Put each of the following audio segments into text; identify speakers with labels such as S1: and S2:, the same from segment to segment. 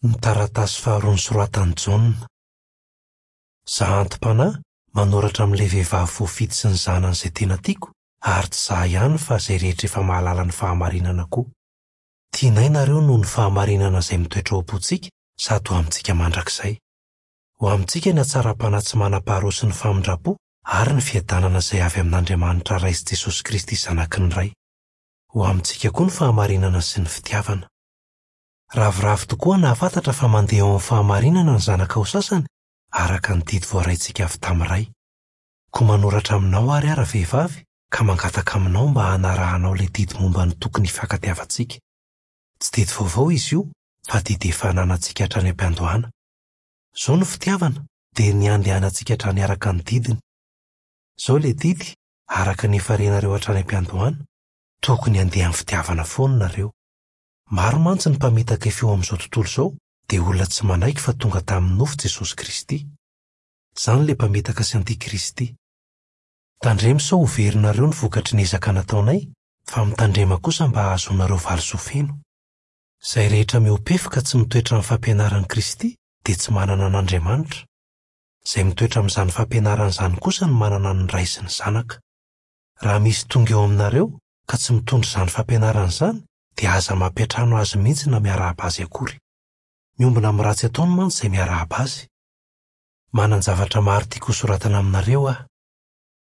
S1: Ny taratasy faharoa nosoratan'i Jaona. Izaho anti-panahy manoratra amin'ilay vehivavy voafidy sy ny zanany izay tena tiako, ary tsy izaho ihany fa izay rehetra efa mahalala ny fahamarinana koa. Tianay nareo noho ny fahamarinana izay mitoetra ao am-pontsika sady ho amintsika mandrakizay. Ho amintsika ny hatsaram-panahy tsy manam-paharoa sy ny famindram-po ary ny fiadanana izay avy amin'Andriamanitra Ray sy Jesosy Kristy Zanaky ny Ray. Ho amintsika koa ny fahamarinana sy ny fitiavana. Ravoravo tokoa nahafantatra fa mandeha ao amin'ny fahamarinana ny zanakao sasany, araka ny didy voaraintsika avy tamin'ny Ray. Koa manoratra aminao àry aho ravehivavy, ka mangataka aminao mba hanarahanao ilay didy momba ny tokony hifankatiavantsika. Tsy didy vaovao izy io, fa didy efa ananantsika hatrany am-piandohana. Izao no fitiavana, dia ny handehanantsika hatrany araka ny didiny. Izao ilay didy, araka ny efa renareo hatrany am-piandohana, tokony handeha amin'ny fitiavana foana nareo. Maro mantsy ny mpamitaka efa eo amin'izao tontolo izao dia olona tsy manaiky fa tonga tamin'ny nofo Jesosy Kristy. Izany ilay mpamitaka sy antikristy. Tandremo sao ho verinareo ny vokatry ny ezaka nataonay fa mitandrema kosa mba hahazoanareo valisoa feno. Izay rehetra mihoa-pefy ka tsy mitoetra amin'ny fampianaran'i Kristy dia tsy manana an'Andriamanitra. Izay mitoetra amin'izany fampianarana izany kosa no manana ny Ray sy ny Zanaka. Raha misy tonga eo aminareo ka tsy mitondra izany fampianarana izany dia aza mampiantrano azy mihitsy na miarahaba azy akory. Miombona amin'ny ratsy ataony mantsy izay miarahaba azy. Manan-javatra maro tiako hosoratana aminareo aho.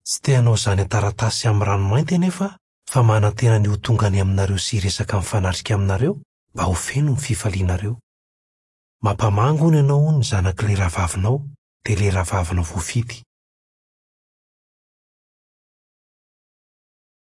S1: Tsy te hanao izany an-taratasy sy amin'ny ranomainty anefa aho fa manantena ny ho tonga any aminareo sy hiresaka mifanatrika aminareo mba ho feno ny fifalianareo. Mampamangy hono ianao hono ny zanak'ilay rahavavinao dia ilay rahavavinao voafidy.